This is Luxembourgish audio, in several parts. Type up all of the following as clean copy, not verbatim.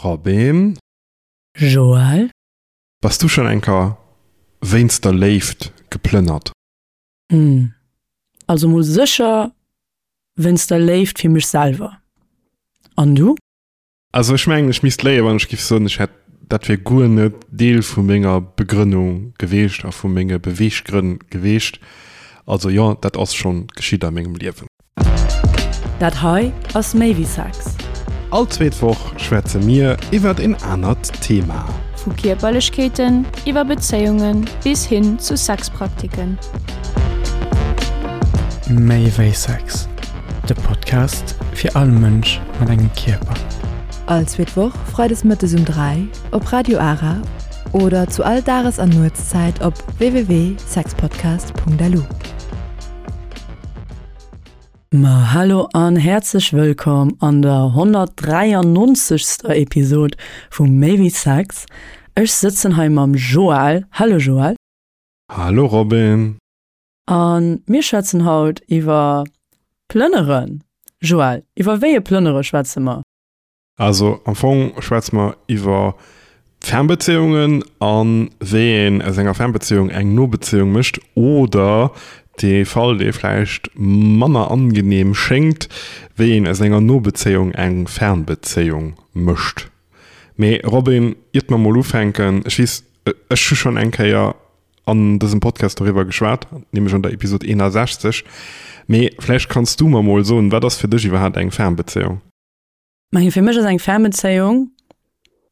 Robin. Joël. Bass du schonn eng Kéier wéinst der Léift geplënnert? Hm, also mol sécher wéinst der Léift fir mech selwer. An du? Also ech mengen, ech misst léien, wann ech giff soen, ech hätt, dat wier guer net Deel vu menger Begrënnung geweecht a vu menge Beweeggrënn geweecht. Also jo, dat ass schonn geschitt a mengem Liewen. Dat hei ass méi wéi Sex. All zweet Woch schwätze mir iwwert een anert Thema. Vu Kierperlechkeeten iwwer Bezéiunge bis hin zu Sexpraktiken. Méi wéi Sex, de Podcast fir all Mënsch mat engem Kierper. All zweet Woch freides mëttes um 3 op Radio Ara oder zu all Dages an Nuetszäit op www.sexpodcast.lu. Ma hallo an häerzlech wëllkomm an der 193. Episod vu Méi wéi Sex. Ech sëtzen hei mam Joël. Hallo Joël. Hallo Robin. A mir schwätzen haut iwwer Plënneren. Joël, iwwer wéi e Plënnere schwätze mer? Also am Fong schwätze mer iwwer Fernbezéiungen a wéi een aus enger Fernbezéiung eng Nobezéiung mécht oder, dee Fall dee vläicht manner angenehm schéngt, wéi een aus enger Nobezéiung eng Fernbezéiung mécht. Mee Robin, iert mer mol ufänken, ech weess, ech hu schonn eng Kéier an dësem Podcast doriwwer geschwat, nämlech an der Episod 61. Mee vläicht kanns du mer mol soen, wat ass fir dech iwwerhaapt eng Fernbezéiung? Majo, fir mech ass eng Fernbezéiung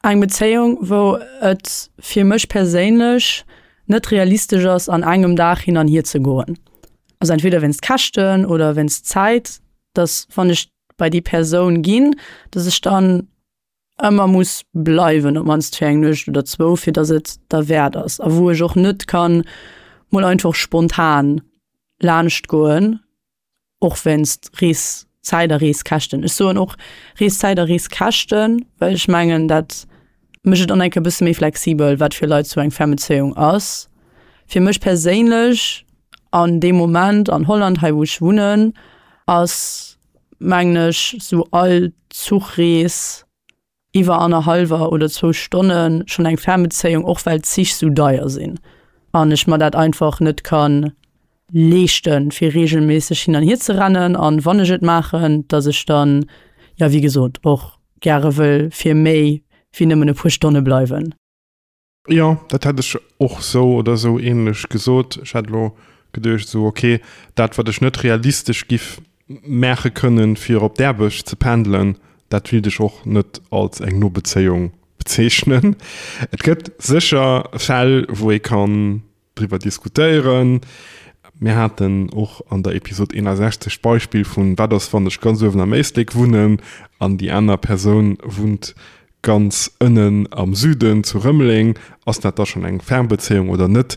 eng Bezéiung, wou et fir mech perséinlech net realistesch ass, an engem Dag hin an hier ze goen. Also entweder wéinst Käschten oder wéinst Zäit, dass wann ech bei déi Persoun ginn, dass ech dann ëmmer muss bleiwen, op mannst fir eng Nuecht oder zwou, fir dass et derwäert ass a wou ech och net kann mol einfach spontan laanscht goen, och wéinst Reeszäit a Reeskäschten. Ech soen och Reeszäit a Reeskäschten, well ech mengen, dat mécht et dann eng Kéier e bësse méi flexibel, wat fir Leit sou eng Fernbezéiung ass. Fir mech perséinlech an deem Moment an Holland, hei wou ech wunnen, ass mengen ech, sou all Zuchrees iwwer annerhallwer oder zwou Stonne schonn eng Fernbezéiung, och well d'Zich sou deier sinn an ech mer dat einfach net ka leeschten, fir reegelméisseg hin an hier ze rennen. An wann ech et maachen, dass ech dann, jo wéi gesot, och gäre wëll fir méi wéi nëmmen e puer Stonne bleiwen. Jo, dat hätt ech och sou oder sou ähnlech gesot. Ech hat elo geduecht sou, ok, dat wat ech net realistesch giff maache kënnen fir op d'Aarbecht ze pendelen, dat willt ech och net als eng no Bezéiung bezeechnen. Et gëtt sécher Fäll wou ee kann driwwer diskutéieren. Mir haten och an der Episod 61 d'Beispill vun wat ass wann ech ganz uewen am Éislek wunnen an déi aner Persoun wunnt Ganz ënnen am Süden zu Rëmeleng, ass dat da schonn eng Fernbezéiung oder net?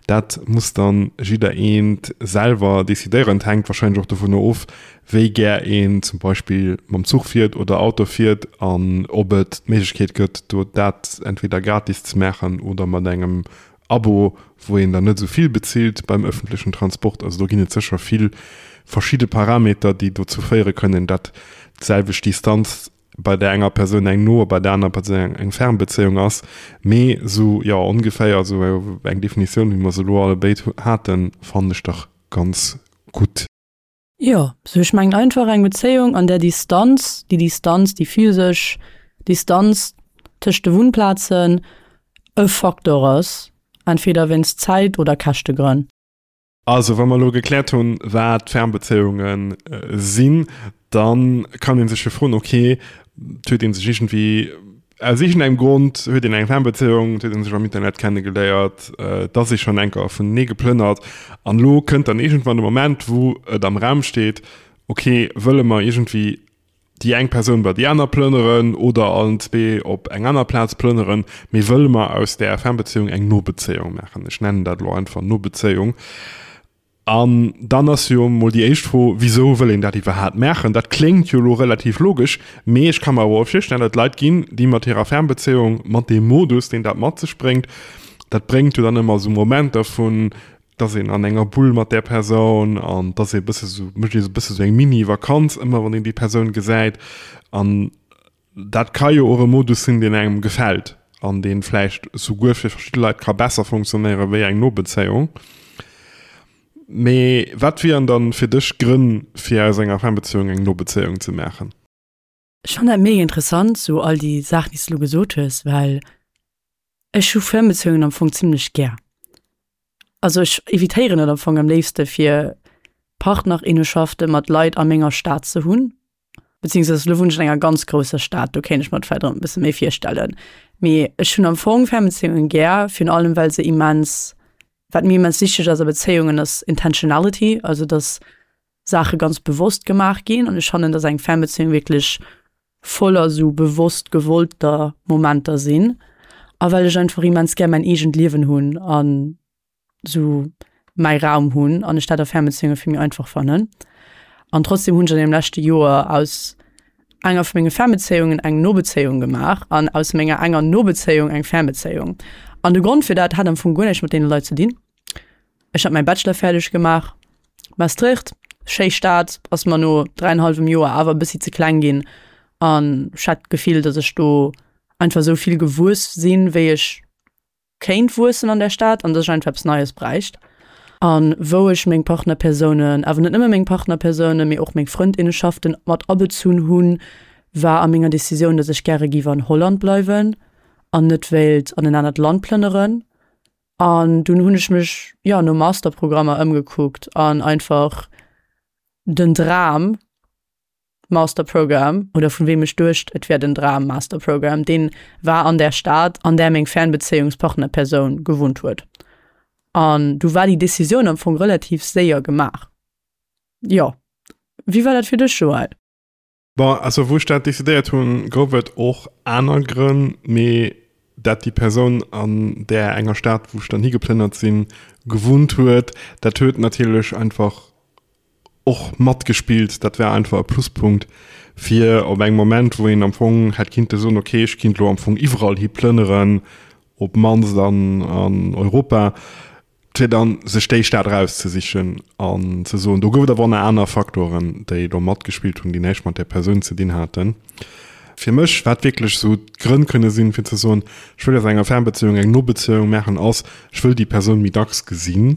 Dat muss dann jidder eent selwer decidéieren. Et hänkt wahrscheinlech och dovunner of, wéi gär een zum Beispill mam Zuch fiert oder Auto fiert an ob et d'Méiglechkeet gëtt, do dat entweder gratis ze maachen oder mat engem Abo, wou een dann net esou vill bezilt beim ëffentlechen Transport. Also do ginn et sécher vill verschidde Parameter, déi dozou féiere kënnen, dat d'selwecht Distanz bei der enger Persoun eng no a bei der aner Persoun eng fern Bezéiung ass, mee sou jo ongeféier sou eng Definitioun wéi mer se elo allebéid haten, fannen ech dach ganz gutt. Jo, sou ech mengen einfach eng Bezéiung an där Distanz, déi Distanz, déi physesch Distanz tëscht de Wunnplazen e Faktor ass, entweder wéinst Zäit oder Käschtegrënn. Also, wa mer elo gekläert hunn, wat Fernbezéiunge sinn, da kann ee sech jo froen, okay, et huet ee sech iergendwéi, aus iergendengem Grond huet een eng Fernbezéiung, et huet ee sech am Internet kennegeléiert, et ass ee schonn eng Kéier vunenee geplënnert an elo kënnt dann iergendwann de Moment, wou et am Raum steet, okay, wëlle mer iergendwéi déi eng Persoun bei déi aner plënneren oder allen zwee op eng aner Plaz plënneren, mee wëlle mer aus där Fernbezéiung eng Nobezéiung maachen? Ech nennen dat elo einfach Nobezéiung. An dann ass jo mol déi éischt Fro, Wisou wëll een dat iwwerhaapt maachen? Dat kléngt jo elo relativ logesch, mee ech ka mer awer och virstellen, datt et Leit ginn, déi mat hirer Fernbezéiung, mat deem Modus, deen dat mat sech bréngt, dat bréngt jo dann ëmmer esou Momenter vun, dass een an enger Bull mat där Persoun an dass ee bësse sou, mécht ee sou bësse sou eng Mini-Vakanz ëmmer wann een déi Persoun gesäit an. Dat ka jo och e Modus sinn, deen engem gefält an dee vläicht souguer fir verschidde Leit ka besser funktionéiere wéi eng no Bezéiung. Mee wat wieren dann fir dech Grënn, fir aus enger Fernbezéiung eng no Bezéiung ze maachen? Ech fannen dat mega interessant, sou all déi Saachen, déi s de lo gesot hues, well ech hu Fernbezéiungen am Fong zimlech gär. Also ech evitéieren et am Fong am léifste fir Partnerinneschafte mat Leit a menger Stad ze hunn, beziehungsweise lo wunnen ech an enger ganz grousser Stad, do kéint ech mer et vläicht erëm e bësse méi virstellen. Mee ech hunn am Fong Fernbezéiungen gär, virun allem well se immens, wat mir immens wichteg ass a Bezéiungen ass Intentionality, also dass Saache ganz bewosst gemaach ginn an ech fannen, dass eng Fernbeziehung wierklech voller sou bewosst gewollter Momenter sinn a well ech einfach immens gär mäin eegent Liewen hunn an sou mäi Raum hunn an ech dat a Fernbeziehunge vill méi einfach fannen. An trotzdem hunn ech an deem leschte Joer aus enger vu menge Fernbezéiungen eng Nobezéiung gemaach an aus menger enger Nobezéiung eng Fernbezéiung. An de Grond fir dat hat am Fong guer näischt mat deene Leit ze dinn. Ech hat mäi Bachelor fäerdeg gemaach, Maastricht, schéi Stad, ass mer no dräienhallwem Joer awer e bëssi ze kleng ginn an ech hat d'Gefill, datt ech do einfach esou vill gewuess sinn, wéi ech kéint wuessen an där Stad an datt ech einfach eppes Neies bräicht. A wou ech meng Partnerpersounen, awer net nëmme meng Partnerpersounen, mee och meng Frëndinnenschaften mat abezunn hunn, war a menger Decisioun, datt ech gäre giff an Holland bleiwen an net wéilt an en anert Land plënneren. An dunn hunn ech mech, jo, no Masterprogrammer ëmgekuckt an einfach den Dram Masterprogramm, oder vun weem ech duecht, et wär den Dram Masterprogramm, deen war an där Stad, an där meng Fernbezéiungspartnerpersoun gewunnt huet. An du war déi Decisioun am Fong relativ séier gemaach. Jo. Wéi war dat fir dech, Joël? Bon, also wou ech dat decidéiert hunn, gouf et och aner Grënn, mee dat déi Persoun an där enger Stad, wou ech dann higeplënnert sinn, gewunnt huet, dat huet natierlech einfach och matgespillt. Dat war einfach e Pluspunkt fir op engem Moment, wou een am Fong hätt kinnte soen, okay, ech kinnt elo am Fong iwwerall hi plënneren, op d'mannst an Europa, fir dann sech déi Stad erauszesichen an ze soen, do gouf et awer och nach aner Faktoren, déi do matgespillt hunn, déi näischt mat där Persoun ze dinn haten. Fir mech, wat wierklech esou d'Grënn kënne sinn, fir ze soen, ech wëll aus enger Fernbezéiung eng Nobezéiung maachen, ass, ech wëll déi Persoun méi dacks gesinn.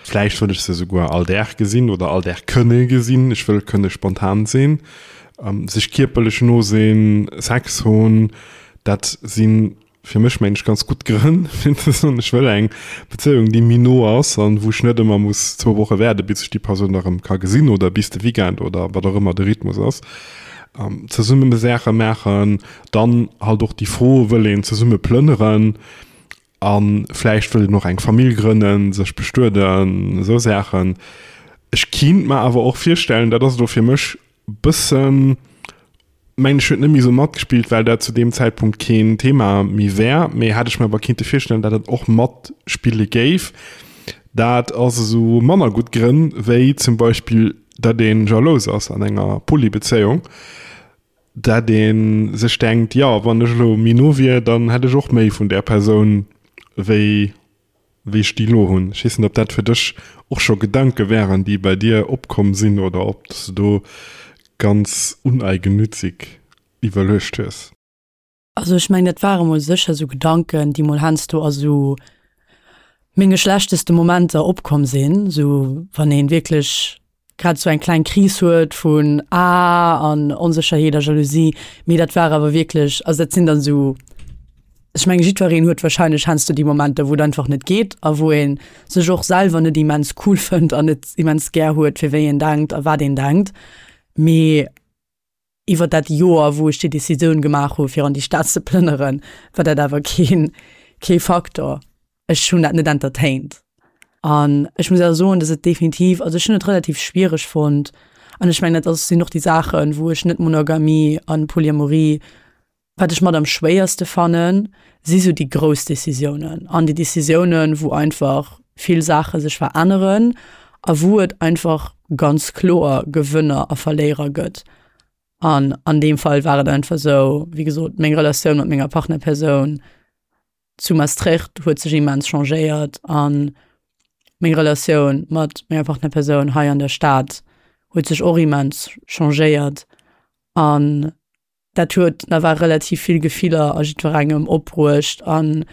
Vläicht wëll ech se esouguer all Dag gesinn oder all Dag kënne gesinn. Ech wëll kënne spontan sinn, sech kierperlech no sinn, Sex hunn, dat sinn Fir mech mengen ech ganz gutt Grënn, fir ze soen, ech wëll eng Bezéiung, déi méi no ass an wou ech net ëmmer muss zwou Woche waarde bis ech déi Persoun erëm ka gesinn oder bis de Weekend oder wat och ëmmer de Rhythmus ass. Zesumme Saache maachen, dann halt och déi Fro, wëll een zesumme plënneren a vläicht wëll een och eng Famill grënnen, sech bestueden, esou Saachen. Ech kinnt mer awer och virstellen, dat ass elo fir mech bëssen, mengen ech huet net méi sou matgespillt, well dat zu deem Zäitpunkt keen Thema méi wär, mee hätt ech mir awer kinnte virstellen, dat et och matspille géif. Dat ass esou manner gutt Grënn, wéi zum Beispill dat ee jalous ass an enger Polybezéiung, dat ee sech denkt, jo wann ech elo méi no wier, dann hätt ech och méi vun där Persoun wéi wéi ech déi elo hunn. Ech weess net, ob dat fir dech och scho Gedanke wären, déi bei dir opkomm sinn oder ob s de do ganz uneigennützig iwwerluecht hues. Also ech mengen, dat ware mol sécher esou Gedanken, déi mol heiansdo a sou menge schlechteste Momenter opkomm sinn, sou wann ee wierklech grad esou eng kleng Kris huet vun ah an Onsécherheet a Jalousie, mee dat war awer wierklech, also dat sinn dann esou, ech menge jiddwereen huet wahrscheinlech heiansdo déi Momenter, wou et einfach net geet a wou ee sech och selwer net immens cool fënnt an net immens gär huet fir wéi een denkt a wat een denkt. Mee iwwer dat Joer, wou ech déi Decisioun gemaach hu fir an déi Stad ze plënneren, war dat awer keen, kee Faktor. Ech hunn dat net entertained. An ech muss awer soen, dass et definitiv, also ech hunn et relativ schwiereg fonnt an ech mengen, dat ass, sinn och déi Saachen, wou ech net Monogamie an Polyamorie, wat ech mat am schwéierste fannen, si sou déi grouss Decisiounen an déi Decisiounen, wou einfach vill Saache sech veränneren a wou et einfach ganz kloer Gewënner a Verléierer gëtt. An an deem Fall war et einfach sou, wéi gesot, meng Relatioun mat menger Partnerpersoun zu Maastricht huet sech immens changéiert an meng Relatioun mat menger Partnerpersoun hei an der Stad huet sech och immens changéiert an. Dat huet nawell relativ vill Gefiller a jiddwerengem opbruecht an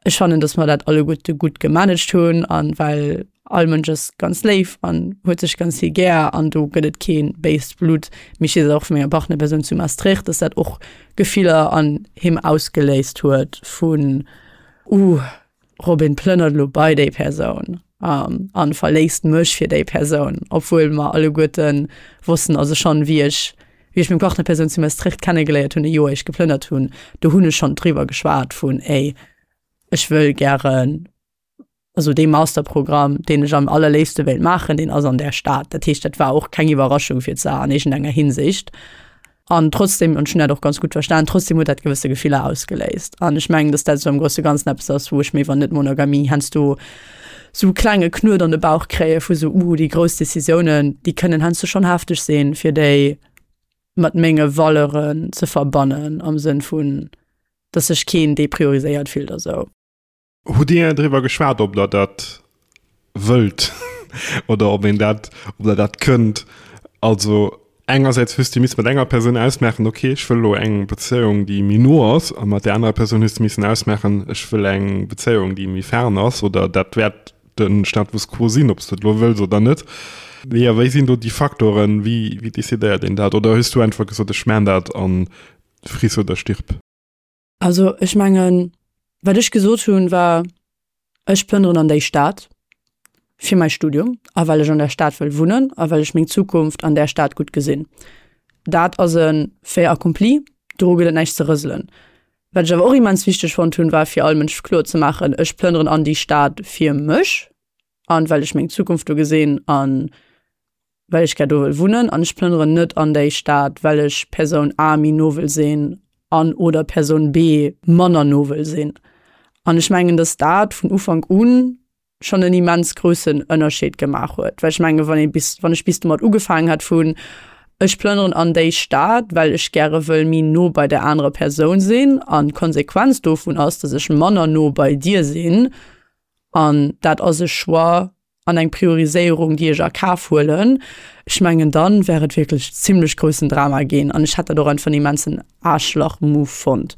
ech fannen, dass mer dat alleguerte gutt gemanagt hunn an well all Mënsch ass ganz léif an huet sech ganz vill gär an do gëtt et kee béist Blutt. Mee ech weess och vu menger Partnerpersoun zu Maastricht, dass dat och Gefiller an him ausgeléist huet vun, Uh, Robin plënnert elo bei déi Persoun an verléisst mech fir déi Persoun, obwuel mer alleguerte wossten, also schonn wéi ech wéi ech meng Partnerpersoun zu Maastricht kennegeléiert hunn, e Joer ier ech geplënnert hunn, do hunn ech schonn driwwer geschwat vun, ey, ech wëll gären, also dee Masterprogramm, deen ech am allerléifste wéilt maachen, deen ass an där Stad. Dat heescht, dat war och keng Iwwerraschung fir d'Sarah an iergendenger Hinsicht. An trotzdem, an ech hunn dat och ganz gutt verstan, trotzdem huet dat gewësse Gefiller ausgeléist. An ech mengen, dass dat esou am grousse Ganzen eppes ass, wou ech mir iwwer Net-Monogamie heiansdo esou e klenge Knuet an de Bauch kréie vu sou, uh, déi grouss Decisiounen, déi kënnen heiansdo schonn hefteg sinn, fir déi mat menge Valeuren ze verbannen, am Sënn vun, dass sech keen deprioriséiert fillt a sou. Hutt Dir driwwer geschwat, ob Der dat wëllt oder ob een dat, ob Der dat kënnt? Also engersäits hues de missen mat enger Persoun ausmaachen, okay, ech wëll elo eng Bezéiung, déi méi no ass, a mat där anerer Persoun hues de missen ausmaachen, ech wëll eng Bezéiung, déi méi fern ass, oder dat wäert de Status quo sinn, ob s de et elo wëlls oder net. Jo, wéi sinn do déi Faktoren? Wéi, wéi decidéiert een dat? Oder hues du einfach gesot, ech maan dat a friss oder stirb? Also ech mengen, wat ech gesot hunn, war, ech plënneren an déi Stad fir mäi Studium a well ech an där Stad wëll wunnen a well ech meng Zukunft an där Stad gutt gesinn. Dat ass e Fait accompli, doru gëtt et näischt ze rëselen. Wat ech awer och immens wichteg fonnt hunn, war fir all Mënsch kloer ze maachen, ech plënneren an déi Stad fir mech an well ech meng Zukunft do gesinn an well ech gär do wëll wunnen an ech plënneren net an déi Stad, well ech Persoun A méi no wëll sinn an oder Persoun B manner no wëll sinn. An ech mengen, dass dat vun Ufank u schonn en immens groussen Ënnerscheed gemaach huet, well ech menge wann ee bis, wann ech bis domat ugefaangen hätt vun ech plënneren an déi Stad, well ech gäre wëll méi no bei där anerer Persoun sinn an d'Konsequenz dovun ass, dass ech manner no bei dir sinn an dat ass e Choix, an eng Prioriséierung, déi ech a Kaf huelen, ech mengen, dann wär et wierklech zimlech groussen Drama ginn an ech hätt dat och einfach en immensen Aarschlach-Move fonnt.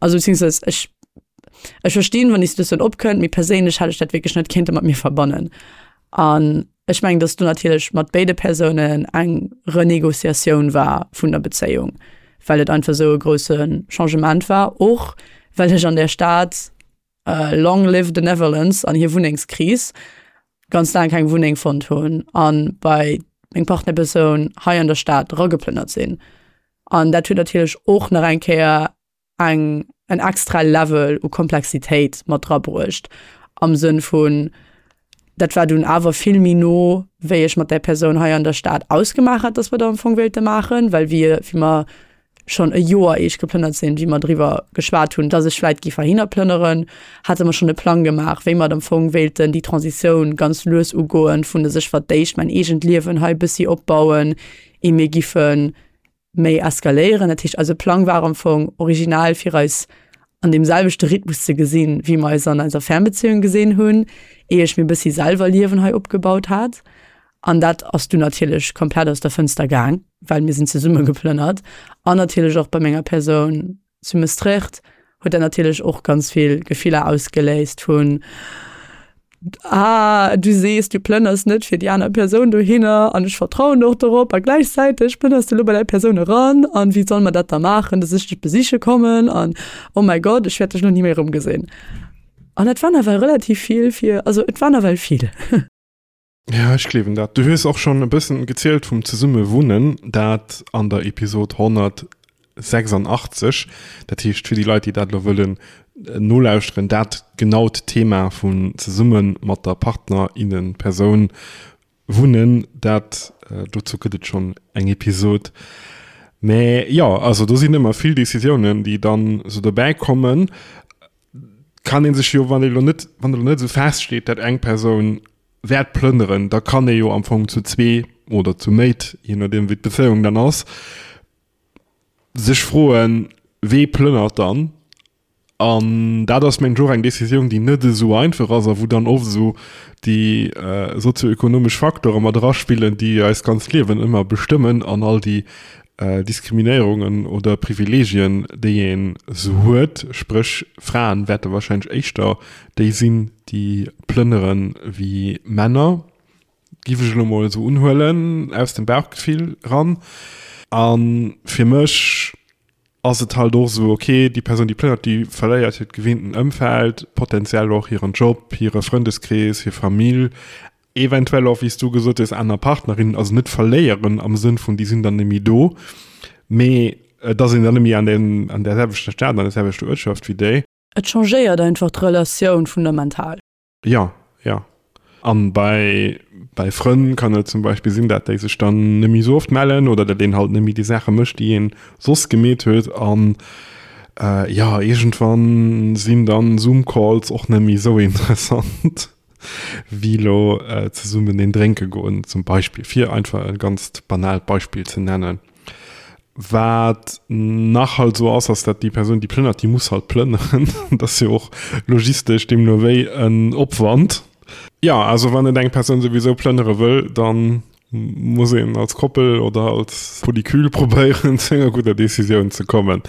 Also beziehungsweise ech, ech verstinn, wann déi Situatioun opkënnt, mee perséinlech hätt ech dat wierklech net kéinte mat mir verbannen. An ech mengen, dass do natierlech mat béide Persounen eng Renegociatioun war vun der Bezéiung, well et einfach esou e grousse Changement war, och well ech an där Stad, Long live the Netherlands an hir Wunnengskris, ganz laang keng Wunneng fonnt hunn an bei meng Partnerpersoun hei an der Stad erageplënnert sinn. An dat huet natierlech och nach eng Kéier eng en extra Level u Komplexitéit mat drabruecht am Sënn vun, dat war dunn awer vill méi no, wéi ech mat där Persoun hei an der Stad ausgemaach hat, dass mer dat am Fong wéilte maachen, well wir, wéi mer schonn e Joer ier ech geplënnert sinn, wéi mer driwwer geschwat hunn, dass ech vläit géif heihinner plënneren, hate mer schonn e Plang gemaach, wéi mer et am Fong wéilten déi Transitioun ganz lues ugoen, vun dass ech fir d'éischt mäin eegent Liewen hei e bëssi opbauen, ier mir giffe méi eskaléieren. Dat heescht, eise Plang war am Fong original fir eis an deem selwechte Rhythmus ze gesinn, wéi mer eis an eiser Fernbeziehung gesinn hunn, ier ech mir e bëssi selwer Liewen hei opgebaut hat. An dat ass du natierlech komplett aus der Fënster gaang, well mir sinn zesumme geplënnert. An natierlech och bei menger Persoun zu Maastricht huet dat natierlech och ganz vill Gefiller ausgeléist vun, ah, du sees, du plënners net fir déi aner Persoun dohinner an ech vertrauen och dorop a gläichzäiteg plënners du elo bei däi Persoun eran an wéi solle mer dat da maachen, dass ech dech besiche kommen an oh mäi Gott, ech wäert dech elo ni méi erëmgesinn. An dat war nawell relativ vill fir, also et war nawell vill. Ja, ech gleewen dat. Du hues och schonn e bëssen gezielt vum Zesummewunnen, dat an der Episod 186. Dat heescht, fir déi Leit, déi dat elo wëllen nolauschteren, dat genaut Thema vun zesumme mat der Partner, innen, Persoun wunnen, dat dozou gëtt et schonn eng Episod. Mä jo, also do sinn ëmmer vill Decisiounen, déi dann esou dobäi kommen. Kann ee sech jo, wann ee lo net, wann elo net esou feststeet, dat eng Persoun wäert plënneren, da kann ee jo am Fong zu zwee oder zu méit, je nodeem wéi d'Bezéiung dann ass, sech froen, wee plënnert dann? An dat ass mengen ech och eng Decisioun, déi net esou einfach ass a wou dann oft esou déi sozioökonomesch Facteure mat eraspillen, déi eist ganzt Liewen ëmmer bestëmmen an all déi. Diskriminéierungen oder Privilegien, déi een sou huet. Spréch, Fraen wäerte wahrscheinlech éischter déi sinn, déi plënnere wéi Männer, giff ech elo mol esou unhuelen aus dem Bauchgefill ran. A fir mech ass et halt och esou, ok, déi Persoun, déi plënnert, déi verléiert hiert gewinnten Ëmfeld, potenziell och hiren Job, hire Frëndeskrees, hir Famill, Eventuell och, wéi s du gesot hues, aner Partnerinnen, also net verléieren am Sënn vun déi sinn dann net méi do, mee et ass een dann net méi an deem, an där selwechter Stad, an där selwechter Uertschaft wéi déi. Et changéiert einfach d'Relatioun fundamental. Jo, jo. An bei, bei Frënn kann et zum Beispill sinn, dat déi sech dann net méi esou oft mellen oder dat een halt net méi déi Saache mécht, déi een soss gemeet huet. An jo, iergendwann sinn dann Zoom-Calls och net méi esou interessant. wéi elo zesummen een drénke goen zum Beispill, fir einfach e ganzt banaalt Beispill ze nennen. Wat nach halt esou ass, ass dat déi Persoun, déi plënnert, déi muss halt plënneren. Dat ass jo och logistesch deemno wéi en Opwand. Jo, also wann et eng Persoun souwisou plënnere wëll, da muss een als Koppel oder als Polykül probéieren, zu enger gudder Decisioun ze kommen.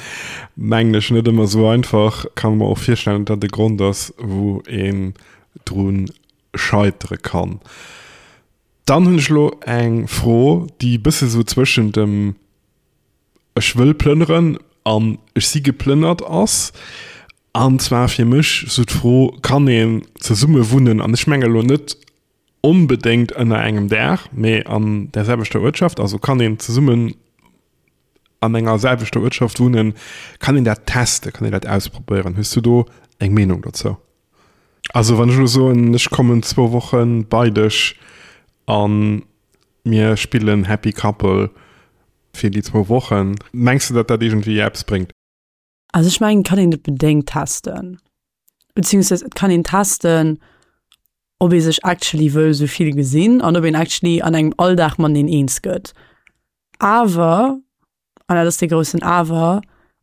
Mengen ech net ëmmer esou einfach. Kann mer och virstellen, dat e Grond ass, wou een dru scheitere kann. Dann hunn ech elo eng Fro, déi e bësse sou zwëschen dem ech wëll plënneren an ech si geplënnert ass. An zwar fir mech sou d'Fro, kann een zesumme wunnen? An ech menge elo net onbedéngt ënner engem Daach, mee an där selwechter Uertschaft, also kann een zesummen an enger selwechter Uertschaft wunnen, kann een dat testen, kann een dat ausprobéieren? Hues du do eng Meenung dozou? Also wann ech elo soen, ech kommen zwou Woche bei dech a mir spillen Happy Couple fir déi zwou Wochen, mengs du, datt dat iergendwéi eppes bréngt? Also ech mengen, et kann een et bedéngt testen, beziehungsweise et kann een testen, ob ee sech actually wëll sou vill gesinn an ob een actually an engem Alldag mateneen eens gëtt. Awer, an dat ass dee groussen Awer,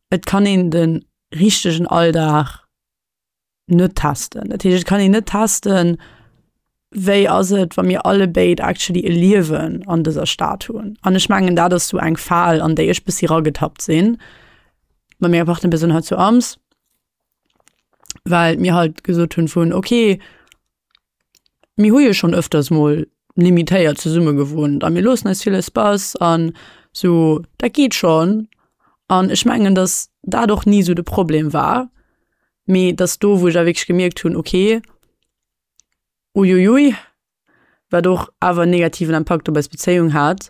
et kann een de richtegen Alldag net testen. Dat heescht, et kann een net testen, wéi ass et, wa mir allebéid actually e Liewen an dëser Stad hunn. An ech mengen, dat ass sou eng Fal, an déi ech bëssi ragetappt sinn mat menger Partnerpersoun hei zu Ams. Well mir halt gesot hunn vun okay, mir hu jo schonn ëfters mol limitéiert zesumme gewunnt a mir loossen eis vill Espace an sou, dat geet schonn. An ech mengen, datt dat och ni sou de Problem war, mee datt do wou ech da wierklech gemierkt hunn, okay, uiuiui, wat och awer en negativen Impakt op eis Bezéiung hat,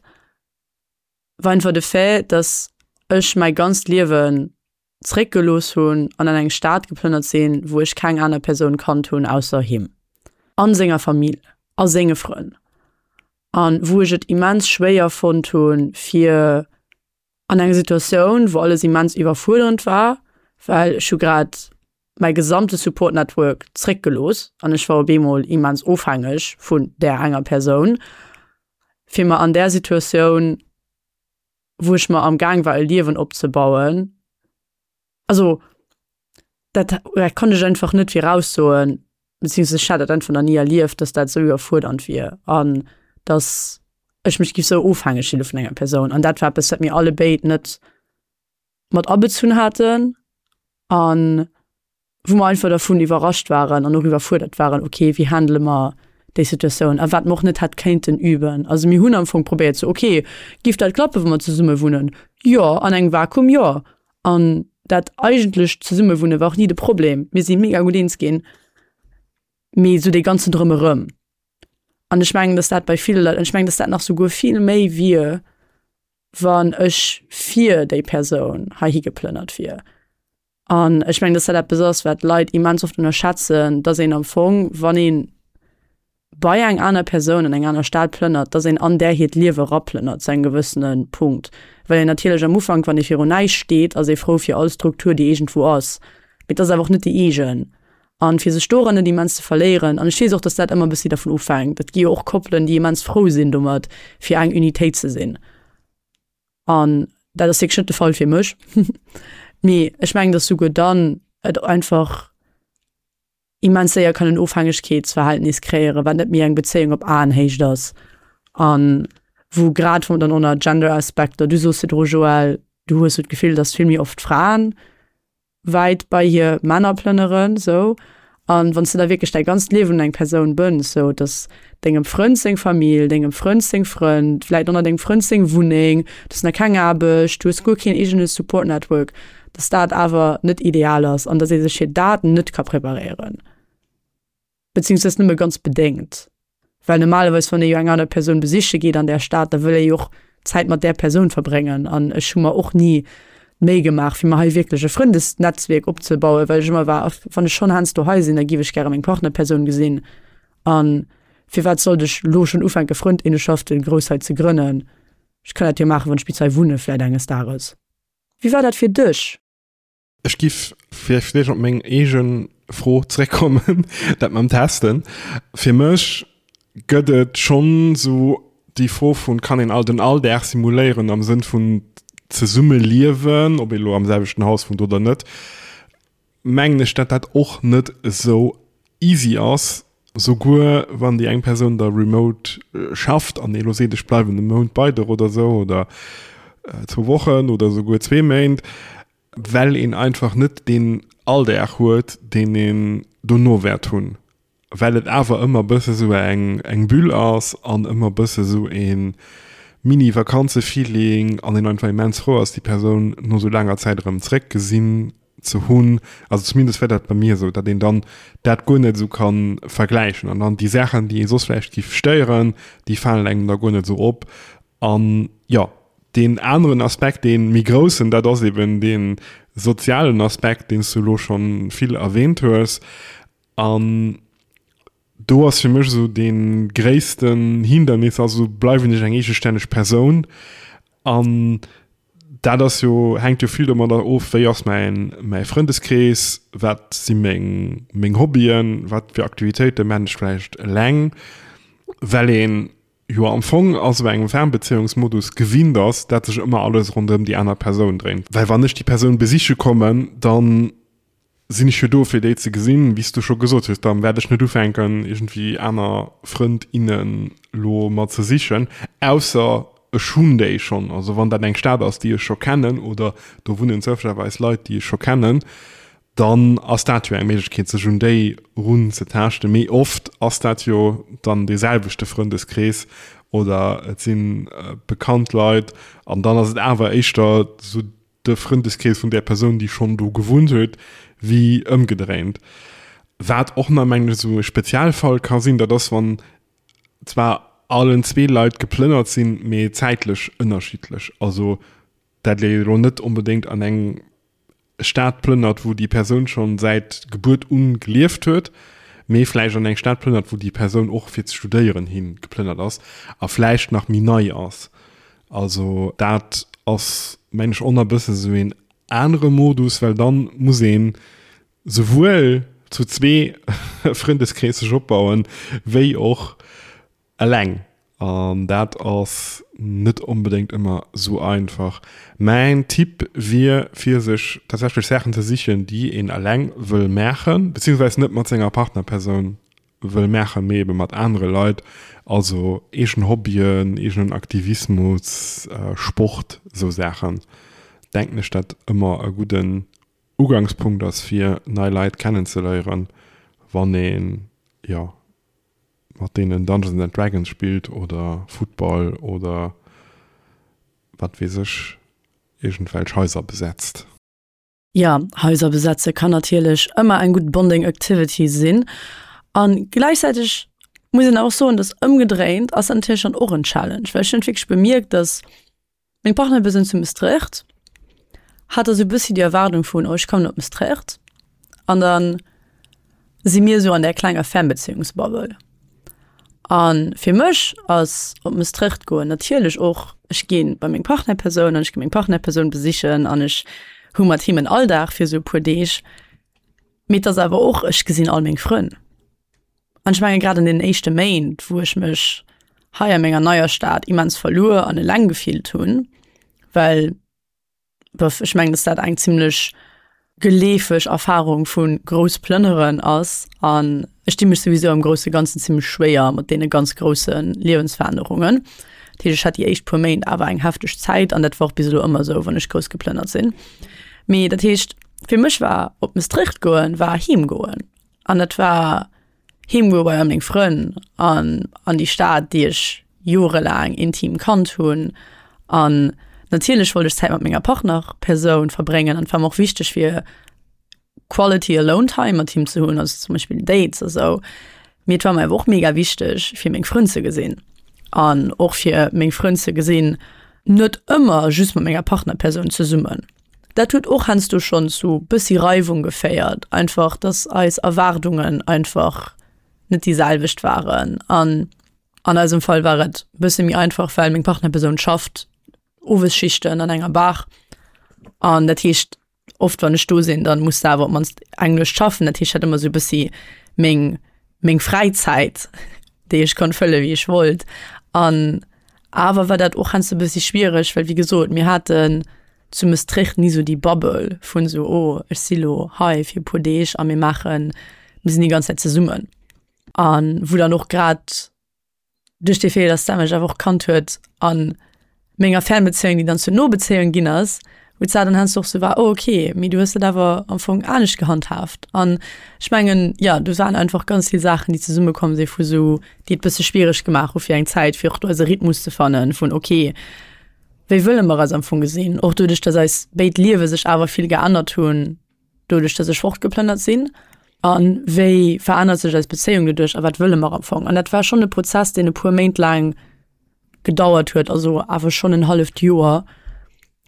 war einfach de Fait, dass ech mäi ganzt Liewen zréckgelooss hunn an an eng Stad geplënnert sinn, wou ech keng aner Persoun kannt hunn ausser him an senger Famill a senge Frënn an wou ech et immens schwéier fonnt hunn, fir an enger Situatioun, wou alles immens iwwerfuerderend war, well ech hu grad mäi gesamte Support Network zréckgelooss an ech war op eemol immens ofhängeg vun där enger Persoun, fir mer an där Situatioun, wou ech mer am Gaang war e Liewen opzebauen, also dat dat konnt ech einfach net viraussoen, beziehungsweise ech hat dat einfach nach ni erlieft, dass dat esou iwwerfuerdernd wier an dass ech mech giff esou ofhängeg fille vun enger Persoun. An dat war eppes, wat mir allebéid net mat abezunn haten an wou mer einfach dervun iwwerrascht waren an och iwwerfuerdert waren, okay, wéi handele mer déi Situatioun a wat mer och net hätt kéinten üben. Also mir hunn am Fong probéiert sou, okay, giff dat klappen, wa mer zesumme wunnen? Jo, an engem Vakuum jo. An dat eigentlecht Zesummewunne war och ni de Problem, mir si mega gutt eens ginn, mee sou dee ganzen Drëmerëm. An ech mengen, dass dat bei ville Leit, an ech mengen, dass dat nach souguer vill méi wier, wann ech fir déi Persoun heihi geplënnert wier. An ech mengen, dass dat eppes ass, wat d'Leit immens oft ënnerschätzen, dass een am Fong, wann ee bei eng aner Persoun an eng aner Stad plënnert, dass een an där hiert Liewe eraplënnert zu engem gewëssene Punkt. Well een natierlech am Ufank, wann ee virun näischt steet, ass ee frou fir all Struktur, déi iergendwou ass. Mee et ass awer och net déi eegen. An fir sech doran net immens ze verléieren, an ech weess och, dass dat ëmmer e bëssi dervun ofhänkt, et gi jo och Koppelen, déi immens frou sinn domat, fir eng Unitéit ze sinn. An dat ass wierklech net de Fall fir mech. Mee ech mengen, dass souguer dann et einfach immens séier kann en Ofhängegkeetsverhältnis kreéieren, wat net méi eng Bezéiung op Aenhéicht ass. An. Wou grad wou dann och nach Gender-Aspekter, du soos virdru Joël, du hues sou d'Gefill, datt vill méi oft Fraen wäit bei hir Männer plënneren sou. An wann s de da wierklech däi ganzt Liewen un eng Persoun bënns, sou datt dengem Frënd seng Famill, dengem Frënd seng Frënn, vläit och nach dengem Frënd seng Wunneng, du hues nach keng Aarbecht, du hues guer keen eegene Support Network, datt dat awer net ideal ass an datt ee sech fir dat net ka preparéieren. Beziehungsweise nëmme ganz bedéngt. Well normalerweis, wann ee jo eng aner Persoun besiche geet an där Stad, da wëll ee jo och Zäit mat där Persoun verbréngen. An ech hu mer och ni d'Méi gemaach, fir mer hei wierklech e Frëndesnetzwierk opzebauen, well ech ëmmer war, wann ech schonn heiansdo hei sinn, da giff ech gäre meng Partnerpersoun gesinn. A firwat sollt ech elo schonn ufänke Frëndinnenschaften grouss hei ze grënnen? Ech kann dat jo maachen, wann ech bis hei wunne vläit enges Dages. Wéi war dat fir dech? Ech giff vläicht op meng eege Fro zréckkommen, dat mam Testen. Fir mech gëtt et schonn esou déi Fro vun, kann een all den Alldag simuléieren am Sënn vun zesummeliewen, ob ee lo am selwechten Haus wunnt oder net, mengen ech, dat dat och net esou easy ass, souguer wann déi eng Persoun da remote schafft an ee lo seet, ech bleiwen e Mount bei der oder esou oder zwou Wochen oder souguer zwee Méint. Well een einfach net deen Alldag huet, deen een dono wäert hunn. Well et awer ëmmer e bësse sou eng eng Bulle ass an ëmmer e bësse sou ee Mini-Vakanze-Feeling an een einfach immens frou ass, déi Persoun no sou laanger Zäit erëm zeréck gesinn ze hunn. Also zumindest wär dat bei mir esou, datt een dann dat guer net esou ka vergläichen an dann déi Saachen, déi ee soss vläicht giff stéieren, déi falen engem da guer net esou op. An jo, deen aneren Aspekt, dee méi groussen, dat ass eben dee sozialen Aspekt, deen s du elo scho vill erwähnt hues. An do ass fir mech esou dee gréissten Hindernis, also bleiwen ech eng eegestänneg Persoun? An dat ass jo, hänkt jo vill domadder of, wéi ass mäin, mäi Frëndeskrees, wat si meng, meng Hobbyen, wat fir Aktivitéite man ech vläicht eleng, well een jo am Fong a sou engem Fernbeziehungsmodus gewinnt ass, dat sech ëmmer alles ronderëm déi aner Persoun dréint. Well wann ech déi Persoun besiche kommen, dann sinn ech jo do fir déi ze gesinn, wéi s du scho gesot hues, dann wäert ech net ufänken iergendwéi aner Frënd, innen lo mer ze sichen, ausser ech hunn déi schonn. Also wann dat eng Stad ass, déi ech scho kennen oder do wunnen zoufällegerweis Leit, déi ech scho kennen, dann ass dat jo eng Méiglechkeet, sech un déi erunzetaaschten. Mee oft ass dat jo dann dee selwechte Frëndeskrees oder et si bekannt Leit an dann ass et awer éischter esou de Frëndeskrees vun där Persoun, déi schonn do gewunnt huet, wéi ëmgedréint. Wat och nach, mengen ech, esou e Spezialfall ka sinn, dat ass, wann zwar allen zwee Leit geplënnert sinn, mee zäitlech ënnerschiddlech. Also dat ee elo net onbedéngt an eng Stad plënnert, wou déi Persoun schonn säit Gebuert un gelieft huet, mee vläicht an eng Stad plënnert, wou déi Persoun och fir ze studéieren hi geplënnert ass a vläicht nach méi nei ass. Also dat ass, mengen ech, och nach e bësse sou een anere Modus, well dann muss een souwuel zu zwee Frëndeskrees sech opbauen, wéi och Eleng, an dat ass net onbedéngt ëmmer sou einfach. Mäin Tipp wier fir sech tatsächlech Saachen ze sichen déi een eleng wëll maachen, beziehungsweis net mat senger Partnerpersoun wëll maachen, mee ebe mat anere Leit, also eegen Hobbyen, eegenen Aktivismus, Sport, sou Saachen, denken ech dat ëmmer e gudden Ugangspunkt ass fir nei Leit kennenzeléieren, wann een, jo, mat deenen Dungeons and Dragons spillt oder Football oder wat weess ech, iergendwelch Haiser besetzt. Jo, Haiser besetze kann natierlech ëmmer eng gutt Bonding Activity sinn. A gläichzäiteg muss een awer och soen, dass ëmgedréint ass dat natierlech dann och en Challenge, well ech hunn wierklech bemierkt, dass Meng Partnerpersoun zu Mestrecht hat da sou bëssi déi Erwaardung vun, oh ech kommen op Mestrecht an dann si mir sou an där klenger Fernbeziehungsbubble. An fir mech ass op Mestrecht goen natierlech och, ech gi bei meng Partnerpersoun an ech gi meng Partnerpersoun besichen an ech hu mat him en Alldag fir sou e puer Deeg, mee et ass awer och, ech gesinn all meng Frënn. An ech menge grad an deenen éischte Méint, wou ech mech hei a menger neier Stad immens verluer an eleng gefillt hunn, well bof, ech mengen, dass dat eng zimmlech geleefeg Erfarung vu grouss Plënneren ass an ech di mech souwisou am grousse Ganzen zimmlech schwéier mat deene ganz grousse Liewensverännerungen. Dat heescht, ech hat déi éischt puer Méint awer eng hefteg Zäit an dat war och bis elo ëmmer esou, wann ech grouss geplënnert sinn. Mee dat heescht, fir mech war op Maastricht goen war heem goen an dat war heem goe bei all meng Frënn an an déi Stad, déi ech jorelaang intim kannt hunn. An natierlech wollt ech Zäit mat menger Partnerpersoun verbréngen an et war mer och wichteg fir Quality alone time mat him ze hunn, also zum Beispill Dates a sou. Mee et war mer awer och mega wichteg fir meng Frënn ze gesinn an och fir meng Frënn ze gesinn net ëmmer just mat menger Partnerpersoun zesummen. Dat huet och heiansdo schonn zu bëssi Reiwung geféiert, einfach dass eis Erwaardungen einfach net déi selwecht waren. An an eisem Fall war et bësse méi einfach, well meng Partnerpersoun schafft Owesschichten an enger Bar an dat heescht, oft wann ech do sinn, dann muss de awer op mannst eng Nuecht schaffen. Dat heescht, ech hat ëmmer sou e bëssi meng meng Fräizäit, déi ech konnt fëlle wéi ech wollt. An awer war dat och heiansdo e bëssi schwiereg, well wéi gesot, mir haten zu Maastricht ni sou déi Bubble vun sou, oh ech si lo hei fir e puer Deeg a mir maachen, mir sinn déi ganz Zäit zesummen. An wou dann och grad duerch dee Fait, dass d'Emma mech awer och kannt huet a menger Fernbezéiung, déi dann zur Nobezéiung ginn ass, wou d'Sarah dann heiansdo och sou war, oh okay, mee du hues dat awer am Fong anescht gehandhaabt. An ech mengen, jo, do waren einfach ganz vill Saachen, déi zesummekomm si vu sou, déi et bësse schwiereg gemaach hu fir eng Zäit, fir och do eise Rhythmus ze fannen vun okay, wéi wëlle mer eis am Fong gesinn, och doduerch, dass eis béid Liewe sech awer vill geännert hunn. doduerch dass ech fortgeplënnert sinn an wéi verännert sech eis Bezéiung doduerch a wat wëlle mer am Fong. An dat war schonn e Prozess, deen e puer Méint laang gedauert huet, also awer schonn en halleft Joer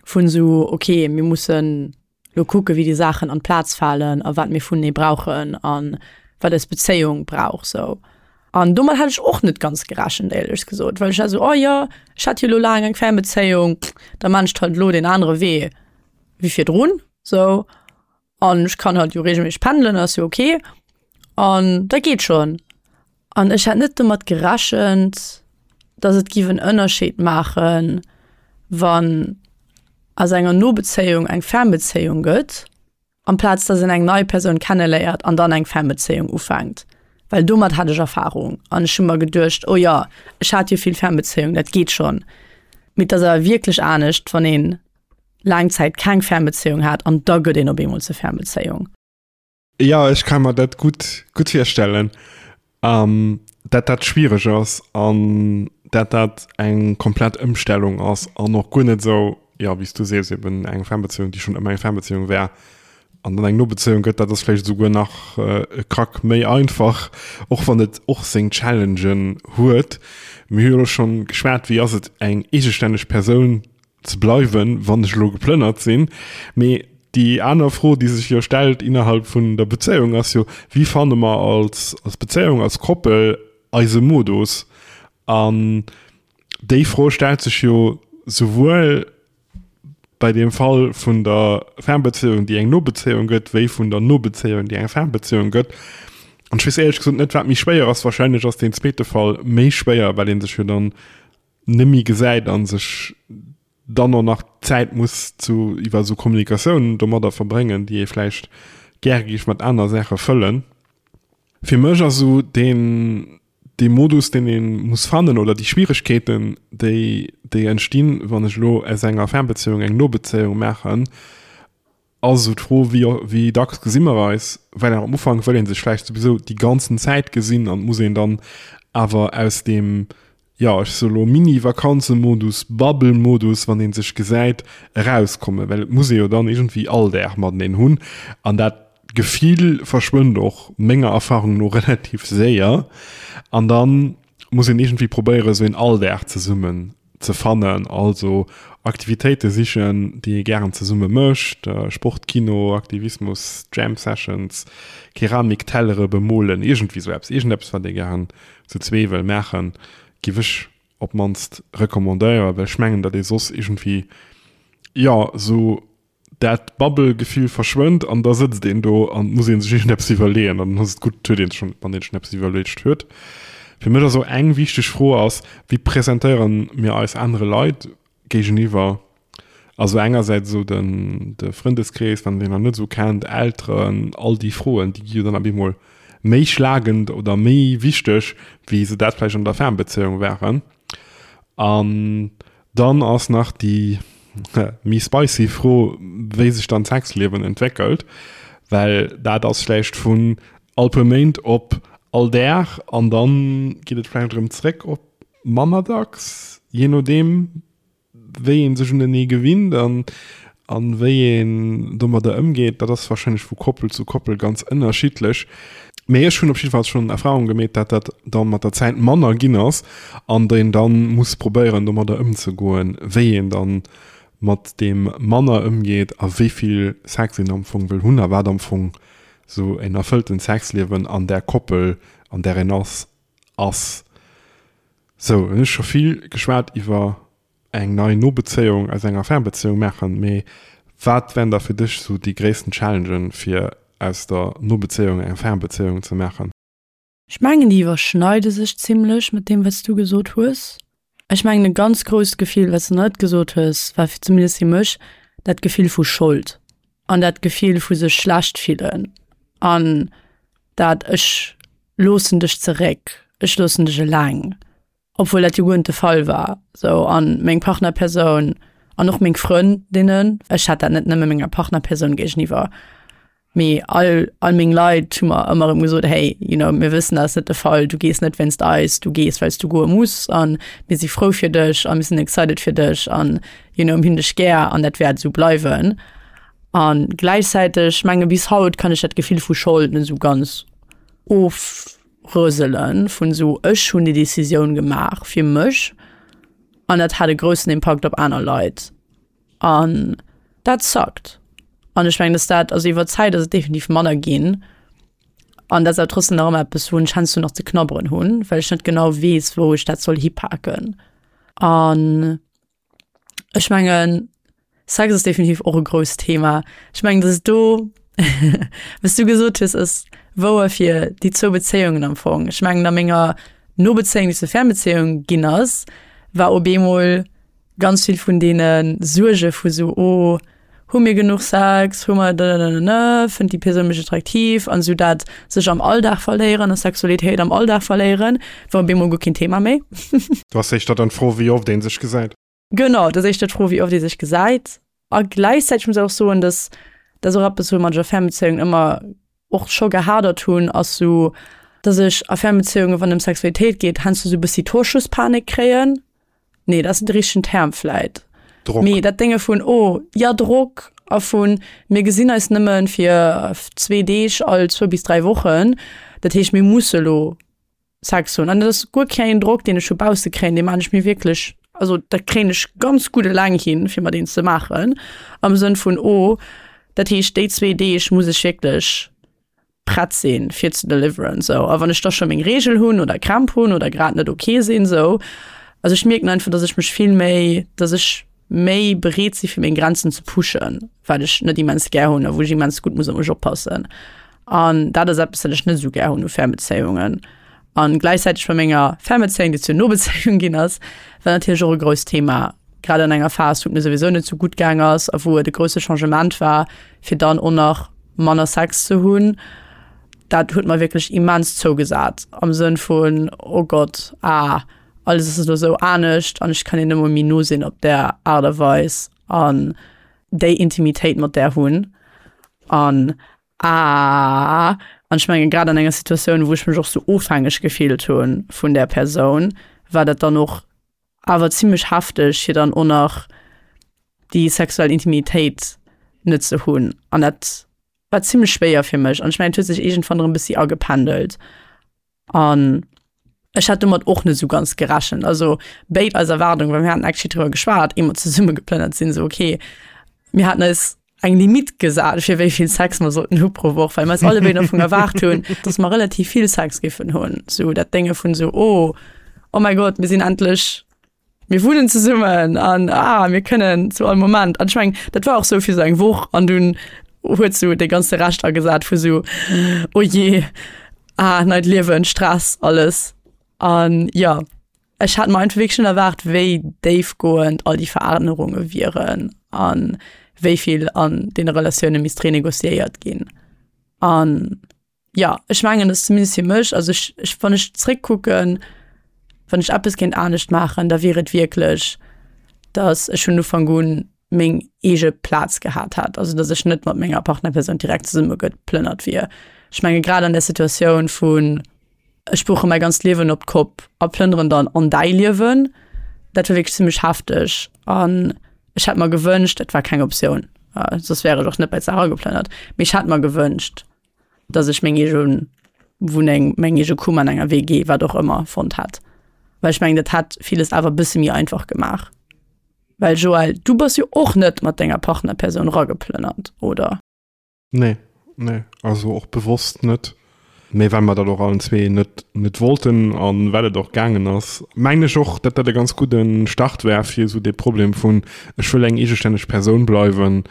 vun esou okay, mir mussen lo kucke wéi déi Saachen an d'Plaz falen a wat mir vunenee brauchen a wat eis Bezéiung brauch sou. An domat hat ech och net ganz gerechent éierlech gesot, well ech war esou oh jo, ech hat jo lo laang eng Fernbezéiung, da maan ech halt elo deen anere Wee wéi virdrun. Sou, an ech kann halt jo regelméisseg pendelen, ass jo ok an dat geet schonn. An ech hat net domat gerechent, dass et giff en Ënnerscheed maachen, wann aus enger Nobezéiung eng Fernbezéiung gëtt, amplaz dass een eng nei Persoun kenneléiert an dann eng Fernbezéiung ufänkt. Well domat hat ech Erfarung an ech hu mer geduecht, oh jo, ech hat jo vill Fernbezéiung, dat geet schonn. Mee et ass awer wierklech anescht, wann een laang Zäit keng Fernbezéiung hat an da gëtt een op eemol zur Fernbezéiung. Jo, ech ka mer dat gutt, gutt virstellen, dat dat schwiereg ass an dat dat eng komplett Ëmstellung ass an och guer net esou, jo, wéi s du sees, eben eng Fernbezéiung, déi schonn ëmmer eng Fernbezéiung war an dann eng Nobezéiung gëtt, dat ass vläicht esouguer nach e Krack méi einfach, och wann et och seng Challengen huet. Mir hu jo elo schonn geschwat, wéi ass et eng eegestänneg Persoun ze bleiwen, wann ech elo geplënnert sinn. Mee déi aner Fro, déi sech jo stellt innerhalb vun der Bezéiung, ass jo, Wéi fanne mer als, als Bezéiung, als Koppel eise Modus? An déi Fro stellt sech jo souwuel bei deem Fall vun der Fernbezéiung, déi eng Nobezéiung gëtt, wéi vun der Nobezéiung, déi eng Fernbezéiung gëtt. An ech weess éierlech gesot net, wat méi schwéier ass. Wahrscheinlech ass deen zweete Fall méi schwéier, well ee sech jo dann nemmi gesäit an sech dann och nach Zäit muss zu iwwer esou Kommunikatiounen domadder verbréngen, déi ee vläicht gäre géif mat aner Saache fëllen. Fir mech ass esou deen dee Modus, deen ee muss fannen oder déi Schwieregkeeten, déi déi entstinn, wann ech elo aus enger Fernbezéiung eng Nobezéiung maachen, Ass esou d'Fro, wéi wéi dacks gesi mer eis, well am Ufank wëll ee sech vläicht souwisou déi ganzen Zäit gesinn an et muss een dann awer aus deem, jo ech soe lo Mini-Vakanzemodus, Bubble-Modus, wann ee sech gesäit, erauskommen, well et muss ee jo dann iergendwéi all Dag mateneen hunn an dat Gefill verschwënnt och menger Erfahrung no relativ séier an dann muss een iergendwéi probéieren, esou een Alldag zesummen ze fannen, also Aktivitéite sichen, déi ee gären zesumme mécht, Sport, Kino, Aktivismus, Jam Sessions, Keramik, Tellere bemolen, iergendwéi sou eppes, iergendeppes wat ee gären zu zwee wëll maachen, giff ech op d'mannst recommandéieren, well ech mengen, datt ee soss iergendwéi, jo, sou dat Bubble-Gefill verschwënnt an da sëtzt een do an et muss ee sech iergendeppes iwwerleeën an dann ass et gutt, huet een schonn, wann een schonn eppes iwwerluecht huet. Fir mech ass och eng wichteg Fro ass, wéi presentéiere mir eis anere Leit géigeniwwer? Also engersäits esou den de Frëndeskrees, wann een deen nach net esou kennt, Elteren, all déi Froen, déi gi jo dann op eemol méi schlagend oder méi wichteg, wéi se dat vläicht an der Fernbezéiung waren. An dann ass nach déi méi spicy Fro, wéi sech dann d'Sexliewen entwéckelt, well dat ass vläicht vun all puer Méint op all Dag an dann geet et vläicht erëm zréck op manner dacks, jee nodeem wéi ee sech unenee gewinnt an an wéi een domadder ëmgeet. Dat ass warscheinlech vu Koppel zu Koppel ganz ënnerschiddlech. Mee ech hunn op jiddefalls schonn Erfahrung gemeet, dat dat dann mat der Zäit manner ginn ass an een dann muss probéieren domadder ëmzegoen, wéi een dann mat deem manner ëmgeet a wéi vill Sex een am Fong wëll hunn a wat am Fong sou en erfëlltent Sexliewen an där Koppel, an där een ass, ass. Sou, hunn ech scho vill geschwat iwwer eng nei Nobezéiung aus enger Fernbezéiung maachen, mee wat wären da fir dech sou déi gréissten Challengen fir aus der Nobezéiung eng Fernbezéiung ze maachen? Ech mengen déi iwwerschneide sech zimlech mat deem wat s du gesot hues. Ech mengen e ganz grousst Gefill wat s de net gesot hues, war fir zumindest fir mech dat Gefill vu Schold an dat Gefill vu sech schlecht fillen an dat ech loossen dech zeréck, ech loossen dech eleng. obwuel dat jo guer net de Fall war sou an meng Partnerpersoun an och meng Frëndinnen, ech hat dat net nëmme menger Partnerpersoun géigeniwwer, mee all all meng Leit hu mer ëmmer erëm gesot, hey you know mir wëssen dat ass net de Fall, du gees net wéinst eis, du gees well s du goe muss an mir si frou fir dech a mir sinn excited fir dech an you know mir hunn dech gär an dat wäert esou bleiwen. An gläichzäiteg menge bis haut kann ech dat Gefill vu Schold net esou ganz of Rëselen vun esou ech hunn déi Decisioun gemaach fir mech an dat hat e groussen Impakt op aner Leit an dat suckt. An ech mengen, dass dat, also iwwer d'Zäit ass et definitiv manner ginn an dat ass awer trotzdem nach ëmmer eppes wou ech heiansdo nach ze knabberen hunn, well ech net genau weess wou ech dat soll hipaken an. Ech mengen, Sex ass definitiv och e grousst Thema. Ech mengen, dass do, wéi s du gesot hues, ass wouer fir déi zwou Bezéiungen am Fong. Ech mengen, a menger Nobezéiung, déi zur Fernbezéiung ginn ass, war op eemol ganz vill vun deene Suerge vu sou, oh, Hu mir genuch Sex? Hu mer dëdëdëdëdë? Fënnt déi Persoun mech attraktiv? An esou dat sech am Alldag verléieren a Sexualitéit am Alldag verléieren, war op eemol guer keen Thema méi. Do ass éischter dann d'Fro, wéi oft ee sech gesäit. Genau, dat ass éischter d'Fro, wéi oft ee sech gesäit. A gläichzäiteg muss ech och soen, dass dat ass och eppes, woumat ech a Fernbezéiungen ëmmer och scho gehadert hunn, ass sou, dass ech a Fernbezéiungen, wann et ëm Sexualitéit geet, heiansdo sou e bëssi Torschusspanik kréien. Nee, dat ass net de richtegen Term vläit. Drock. Mee dat Dénge vun, oh, ja, Drock a vun, mir gesinn eis nëmme fir zwee Deeg all zwou bis dräi Wochen, dat heescht, mir musse lo Sex hunn. An dat ass guer keen Drock, deen ech vu bausse kréien, dee maan ech mir wierklech, also dat kréien ech ganz gutt eleng hin, fir mer deen ze maachen, am Sënn vun, oh, dat heescht, déi zwee Deeg muss ech wierklech prett sinn fir ze deliveren sou a wann ech da scho meng Reegel hunn oder Krämp hunn oder grad net ok sinn sou also ech mierken einfach dass ech mech vill méi dass ech méi bereet si fir meng Grenzen ze pushen wat ech net immens gär hunn a wou ech immens gutt muss op mech oppassen an dat ass eppes wat ech net sou gär hunn u Fernbezéiungen an gläichzäiteg bei menger Fernbezéiung déi zur Nobezéiung ginn ass war natierlech och e grousst Thema grad an enger Phas wou et mir souwisou net sou gutt gaang ass a wou et e grousse Changement war fir dann och nach manner Sex ze hunn, dat huet mer wierklech immens zougesat am Sënn vun, oh Gott, ah, alles ass elo sou anescht an ech kann hir net emol méi no sinn op där Aart a Weis an déi Intimitéit mat där hunn an ah, an ech mengen grad an enger Situatioun, wou ech mech och sou ofhängeg gefillt hu vun där Persoun, war dat dann och awer zimmlech hefteg fir dann och nach déi sexuell Intimitéit net ze hunn an dat war zimmlech schwéier fir mech an ech mengen et huet sech iergendwann erëm e bëssi agependelt an ech hat domat och net esou ganz gerechent. Also béid eis Erwaardungen, well mir haten actually driwwer geschwat, ier mer zesumme geplënnert sinn, esou okay, mir haten eis eng Limitt gesat fir wéi vill Sex mer sollten hu pro Woch, well mer eis allebéid am Fong erwaart hunn, dass mer relativ vill Sex géifen hunn. Sou dat Dénge vun sou, oh, oh mäi Gott, mir sinn endlech, mir wunnen zesummen an ah, mir kënnen zu all Moment. An ech mengen, dat war och sou fir sou eng Woch an dunn huet sou dee ganze Rescht agesat vu sou, oh jee, ah, neit Liewen, Stress, alles. An jo. Ech hat mer einfach wierklech net erwaart, wéi déifgoend all déi Verännerunge wieren a wéi vill an deene Relatioune misst renegociéiert ginn. An jo, ech mengen, dass zumindest fir mech, also ech, ech, wann ech zréckkucken, Wann ech eppes kéint anescht maachen, da wier et wierklech, datt ech vun Ufank un meng eege Plaz gehat hätt, also datt ech net mat menger Partnerpersoun direkt zesumme geplënnert wier. Ech menge grad an där Situatioun vun ech buche mäi ganzt Liewen op d'Kopp a plënneren dann an däi Liewen, dat war wierklech zimmlech hefteg an ech hätt mer gewënscht, et war keng Optioun, soss wär ech och net bei d'Sarah geplënnert, mee ech hätt mer gewënscht, dass ech meng eege Wunneng, meng eege Kummer an enger WG, wat och ëmmer, fonnt hätt. Well ech mengen, dat hätt villes awer e bësse méi einfach gemaach. Well Joël, du bass jo och net mat denger Partnerpersoun erageplënnert, oder? Nee, nee, also och bewosst net. Mee well mer dat och allen zwee net, net wollten an well et och gaangen ass, mengen ech och, datt dat e ganz gudde Start war fir esou dee Problem vun, ech wëll eng eegestänneg Persoun bleiwen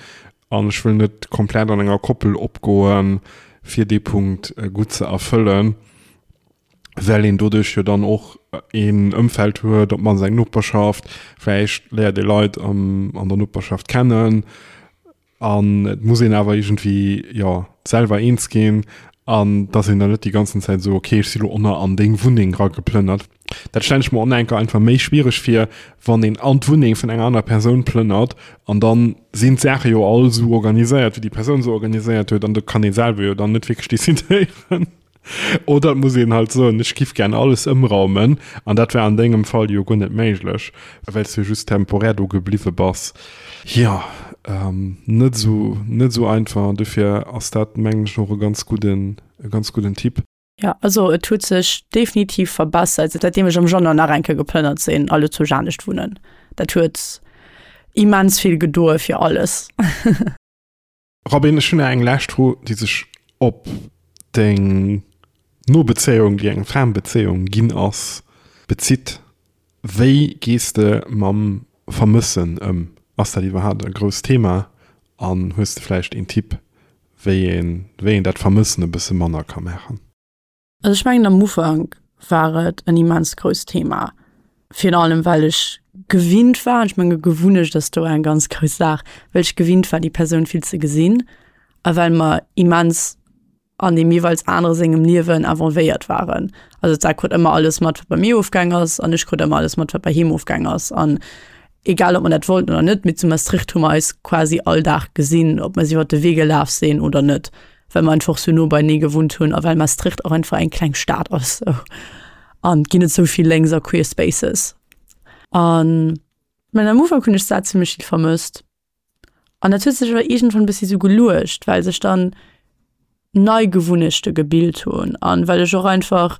An ech wëll net komplett an enger Koppel opgoen, fir dee Punkt gutt ze erfëllen, well een doduerch jo dann och een Ëmfeld huet, op d'mannst eng Noperschaft, vläicht léiert ee Leit an der Noperschaft kennen an et muss een awer iergendwéi, jo, selwer eens ginn an dass een dann net déi ganzen Zäit esou, okay, ech si lo ënner an deng Wunneng erageplënnert. Dat stellen ech mer och enker einfach méi schwiereg vir, wann een an d'Wunneng vun enger anerer Persoun plënnert an dann sinn d'Saache jo all esou organiséiert, wéi déi Persoun se organiséiert huet an do kann ee selwer jo dann net wierklech decidéieren. Oder et muss een halt soen, ech giff gär alles ëmraumen an dat war an dengem Fall jo guer net méiglech, well s du jo just temporär do gebliwwe bass. Jo, net esou, net esou einfach an dofir ass dat mengen ech och e ganz gudden, e ganz gudden Tipp. Jo, also et huet sech definitiv verbessert, säitdeem ech am Januar nach eng Kéier geplënnert sinn a lo zu Janescht wunnen. Dat huet immens vill gedoe fir alles. Robin, ech hunn nach eng lescht Fro, déi sech op deng Nobezéiung, déi eng Fernbezéiung ginn ass, bezitt. Wéi gees de mam Vermëssen ëm? Ass dat iwwerhaapt e grousst Thema an hues de vläicht een Tipp, wéi een, wéi een dat Vermëssen e bësse manner ka maachen? Also ech mengen am Ufank war et en immens grousst Thema, virun allem well ech gewinnt war, an ech menge Gewunnecht ass do eng ganz grouss Saach, well ech gewinnt war déi Persoun vill ze gesinn a well mer immens an deem jeeweils anere sengem Liewen involvéiert waren. Also d'Sar krut ëmmer alles mat, wat bei mir ofgaang ass, an ech krut ëmmer alles mat, wat bei him ofgaang ass. An egal ob mer dat wollten oder net, mee zu Maastricht hu mer eis quasi all Dag gesinn, ob mer si iwwer de Wee gelaf sinn oder net, well mer einfach sou no beienee gewunnt hunn a well Maastricht och einfach eng kleng Stad ass sou an et ginn net sou vill Lénks a Queer Spaces. An mä am Ufank hunn ech d'Sar zimmlech vill vermësst. An dat huet sech awer iergendwann e bëssi sou geluecht, well sech dann nei Gewunnechte gebilt hunn an well ech och einfach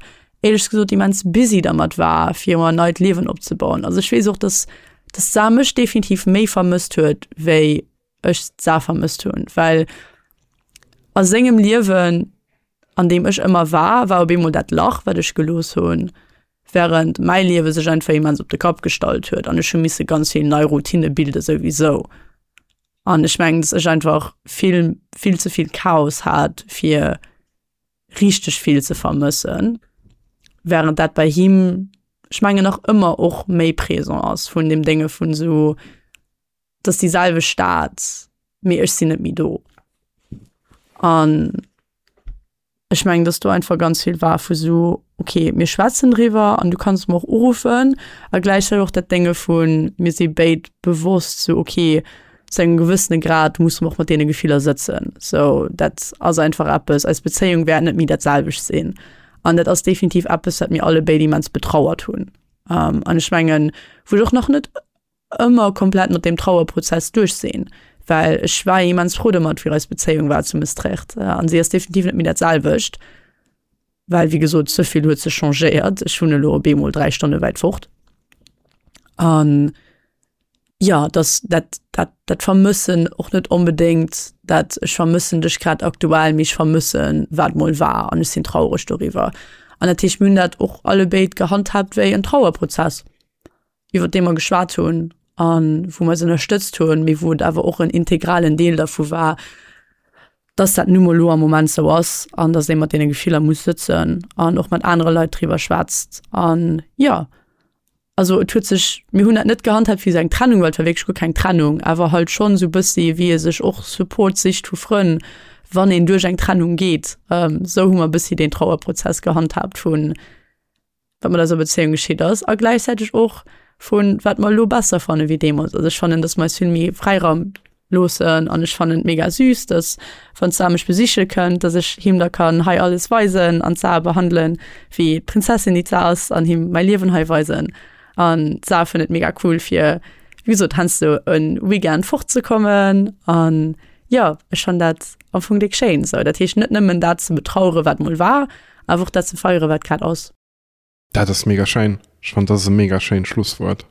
éierlech gesot immens busy dermat war, fir mer en neit Liewen opzebauen. Also ech weess och, dass dass d'Sar mech definitiv méi vermësst huet, wéi ech d'Sar vermësst hunn, well a sengem Liewen, an deem ech ëmmer war, war op eemol dat Lach, wat ech gelooss hunn, während mäi Liewe sech einfach immens op de Kapp gestallt huet an ech hu misse ganz vill nei Routine bilde souwisou. An ech mengen, dass ech einfach vill, vill ze vill Chaos hat, fir richteg vill ze vermëssen, während dat bei him, ech mengen, nach ëmmer och méi présent ass vun deem Dénge vun esou, et ass déi selwecht Stad, mee ech sinn net méi do. An ech mengen, dass do einfach ganz vill war vu sou, okay, mir schwätzen driwwer an du kanns mer och uruffen a gläichzäiteg och dat Dénge vun, mir si béid bewosst sou, okay, zu engem gewëssene Grad musse mer och mat deene Gefiller sëtzen. Sou dat ass einfach eppes, eis Bezéiung wäert net méi dat selwecht sinn an dat ass definitiv eppes, wat mir alle béid immens betrauert hunn. An ech mengen, wou ech och nach net ëmmer komplett mat deem Trauerprozess duerch sinn, well ech war immens frou domat, wéi eis Bezéiung war zu Mestrecht an si ass definitiv net méi dat selwecht, well wéi gesot ze vill huet sech changéiert. Ech wunne lo op eemol 3 Stonne wäit fort an jo, dass dat dat dat Vermëssen och net onbedéngt dat ech vermëssen dech grad aktuell, mee ech vermëssen wat mol war an ech sinn traureg doriwwer. An dat heescht mir hunn dat och allebéid gehandhaabt wéi en Trauerprozess. iwwer dee mer geschwat hunn a wou mer eis ënnerstëtzt hunn, mee wou et awer och en integralen Deel dervu war, dass dat nu mol elo am Moment sou ass an dass ee mat deene Gefiller muss sëtzen an och mat anere Leit driwwer schwätzt. An jo, also et huet sech, mir hunn dat net gehandhaabt wéi esou eng Trennung, well et war wierklech guer keng Trennung, awer halt schonn esou e bëssi wéi ee sech och Support sicht vu Frënn, wann een duerch eng Trennung geet. Esou hu mer e bëssi deen Trauerprozess gehandhaabt vun. Wat mat eiser Bezéiung geschitt ass a gläichzäiteg och vu wat mer elo besser fanne wéi deemools. Also ech fannen, datt mer eis vill méi Fräiraum loossen an ech fannen et mega süß, datt wann d'Sar mech besiche kënnt, datt ech him da kann hei alles weisen an d'Sar behandelen wéi d'Prinzessin déi d'Sar ass an him mäi Liewen hei weisen. An d'Sar fënnt et mega cool fir wéi gesot heiansdo e Weekend fortzekommen an jo ech fann dat am Fong déck schéin esou. Dat heescht net nëmmen dat ze betrauere wat mol war, Awer och dat ze feieren, wat grad ass. Dat ass mega schéin. Ech fannen, dat ass e mega schéint Schlusswuert.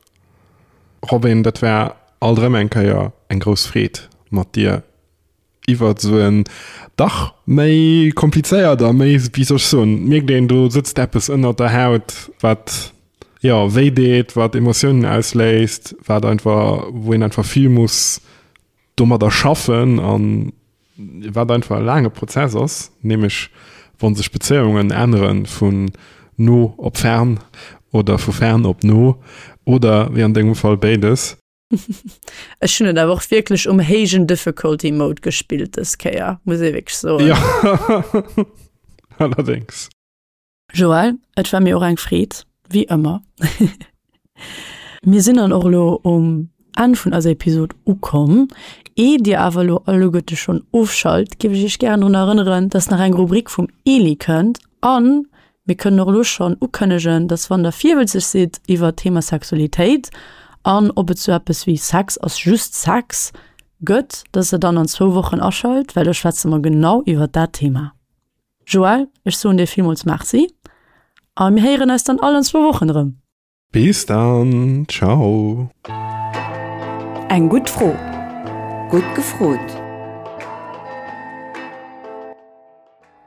Robin, dat war alt erëm eng Kéier eng grouss Freed, mat dir iwwert esou en dach méi komplizéiert a méi, wéi soll ech soen, et mierkt een, do sëtzt eppes ënnert der Haut, wat, jo, wéi deet, wat Emotiounen ausléist, wat einfach, wou een einfach vill muss domadder schaffen an wat einfach e laange Prozess ass, nämlech wa sech Bezéiungen ännere vun no op fern oder vu fern op no oder wéi an dengem Fall béides. Ech hunn et awer och wierklech um héijen Difficulty Mode gespillt dës Kéier, muss ee wierklech soen. Jo, allerdéngs. Joël, et war mir och eng Freed, wéi ëmmer. Mir sinn dann och elo um Enn vun eiser Episod ukomm. Eeh dir awer elo alleguerte schonn ofschalt, géif ech iech gären drun erënneren, dass nach eng Rubrik vum Eli kënnt an mir kënnen och elo schonn ukënnegen, dass wann der virwëlzeg sidd iwwert d'Thema Sexualitéit an ob et sou eppes wéi Sex ass just Sex gëtt, dass der dann an zwou Wochen aschalt, well do schwätze mer genau iwwert dat Thema. Joël, ech soen dir villmools Merci a mir héieren eis dann all an zwou Wochen erëm. Bis dann, ciao. Eng gutt Fro, gutt gefrot.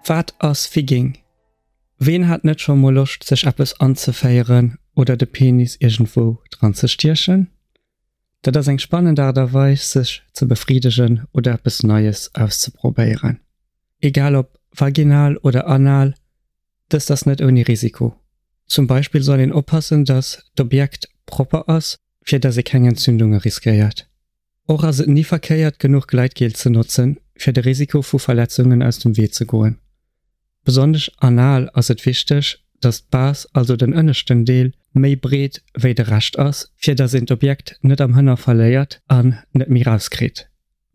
Wat ass Figging? Ween hat net scho mol Loscht sech eppes anzeféieren oder de Penis iergendwou dran ze stiechen? Dat ass eng spannend Aart a Weis sech ze befriddegen oder eppes Neies auszeprobéieren. Egal ob vaginal oder anal, dëst ass net ouni Risiko. Zum Beispill soll een oppassen, dass d'Objekt propper ass, fir dass ee keng Entzündunge riskéiert. Och ass et ni verkéiert genuch Gleitgel ze notzen, fir de Risiko vu Verletzungen aus dem Wee ze goen. Besonnesch anal ass et wichteg, dass d'Base, also den ënneschten Deel, méi breet wéi de Rescht ass, fir dass een d'Objekt net am Hënner verléiert an net méi rauskritt.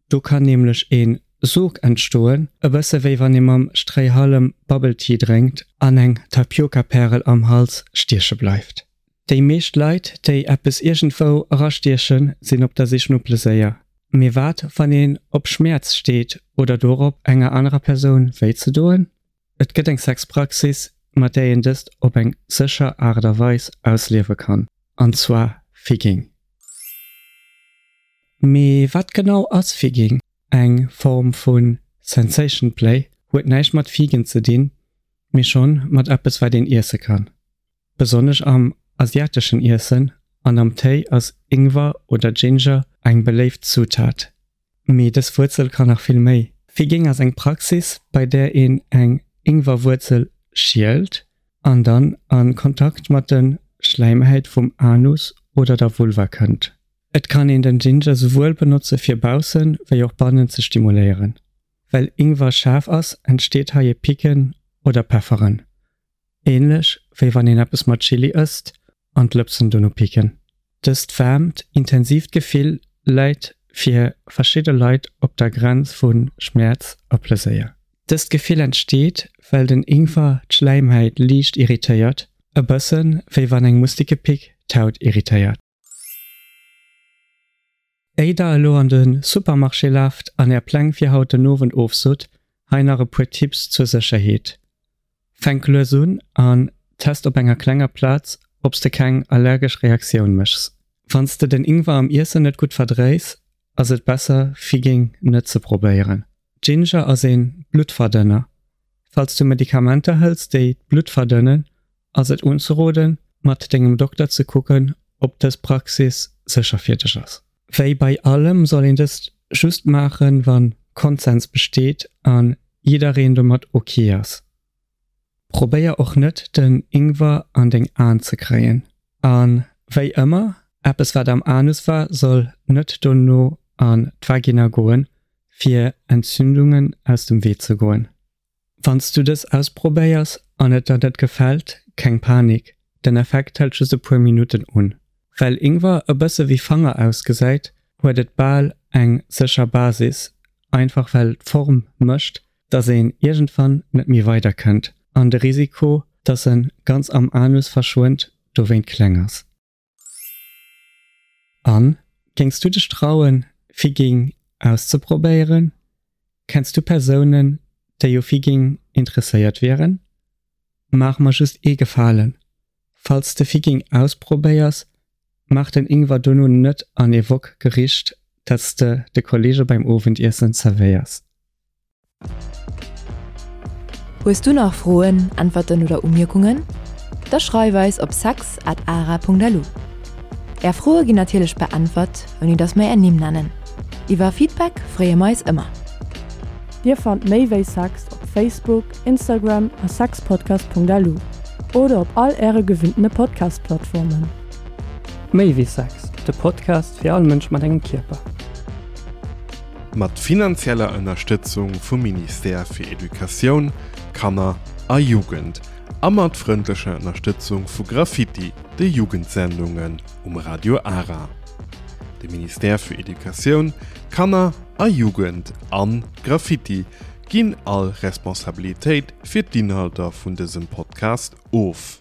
Do kann nämlech een Sog entstoen, e bësse wéi wann ee mam Stréihallem Bubble Tea drénkt an eng Tapiocapärel am Hals stieche bleift. Déi meescht Leit, déi eppes iergendwou erastiechen, sinn op der Sich no Pleséier. Mee wat, wann een op Schmäerz steet oder dorop, enger anerer Persoun wéi ze doen? Et gëtt eng Sexpraxis, mat där een dëst op eng sécher Aart a Weis ausliewe kann, an zwar Figging. Mee wat genau ass Figging? Eng Form vu Sensation Play, huet näischt mat Figen ze dinn, mee schonn mat eppes wat een iesse kann. Besonnesch am asiateschen Iessen an am Téi ass Ingwer oder Ginger eng beléift Zutat. Mee dës Wuerzel kann nach vill méi. Figging ass eng Praxis, bei där een eng Ingwerwuerzel schielt an dann a Kontakt mat de Schläimhäit vum Anus oder der Vulva kënnt. Et kann een den Ginger souwuel benotze fir baussen wéi och bannen ze stimuléieren. Well Ingwer schaarf ass, entsteet hei e Picken oder Pefferen. Ähnlech wéi wann een eppes mat Chili ësst an d'Lëpsen dono picken. Dëst waarmt, intensiivt Gefill läit fir verschidde Leit op der Grenz vu Schmäerz a Pleséier. Dëst Gefill entsteet, well den Ingwer d'Schläimhäit liicht irritéiert, e bëssen wéi wann eng Mustikepick d'Haut irritéiert. Éi der elo an de Supermarché laaft an är Pläng fir haut den Owend ofsot, hei nach e puer Tipps zur Sécherheet. Fänk lues un an test op enger klenger Plaz obs de keng allergesch Reaktioun méchs. Wanns de den Ingwer am Iessen net gutt verdréis, ass et besser Figging net ze probéieren. Ginger ass een Bluttverdënner. Falls du Medikamenter hëls déi d'Blutt verdënnen, ass et unzeroden, mat dengem Dokter ze kucken, ob dës Praxis sécher fir dech ass. Wéi bei allem soll een dëst just maachen, wann Konsens besteet an jiddereen domat ok ass. Probéier och net den Ingwer an deng Aen ze kréien. An wéi ëmmer, eppes wat am Anus war soll net dono an d'Vagina goen, fir Entzündungen aus dem Wee ze goen. Wanns du dës ausprobéiers an et der net gefält, keng Panik! Den Effekt hält just e puer Minutten un. Well Ingwer e bësse wéi Fanger ausgesäit, huet et bal eng sécher Basis, einfach well d'Form mécht, dass een iergendwann net méi weider kënnt an de Risiko, dass en ganz am Anus verschwënnt, dowéint kleng ass. An, géings du dech trauen, Figging auszeprobéieren? Kenns du Persounen, déi u Figging interesséiert wieren? Maach mer just ee Gefalen, Falls de Figging ausprobéiers, maach den Ingwer dono net an ee Wok-Gericht, dat s de de Kollege beim Owendiessen zerwéiers. Hues du nach Froen, Äntwerten oder Umierkungen? Da schreif eis op sex at ara.lu. Är Froe ginn natierlech beäntwert, ouni dass mer är Nimm nennen. Iwwer Feedback freeë mer eis ëmmer. Dir fannt méi wéi Sex op Facebook, Instagram a sexpodcast.lu oder op all äre gewinntene Podcast-Plattformen. Méi wéi Sex, de Podcast fir all Mënsch mat engem Kierper. Mat finanzieller Ënnerstëtzung vum Ministère fir Educatioun, Kanner a Jugend a mat frëndlecher Ënnerstëtzung vu Graffiti, de Jugendsendungen um Radio Ara. De Ministère fir Educatioun, Kanner a Jugend an Graffiti ginn all Responsabilitéit fir d'Inhalter vun dësem Podcast of.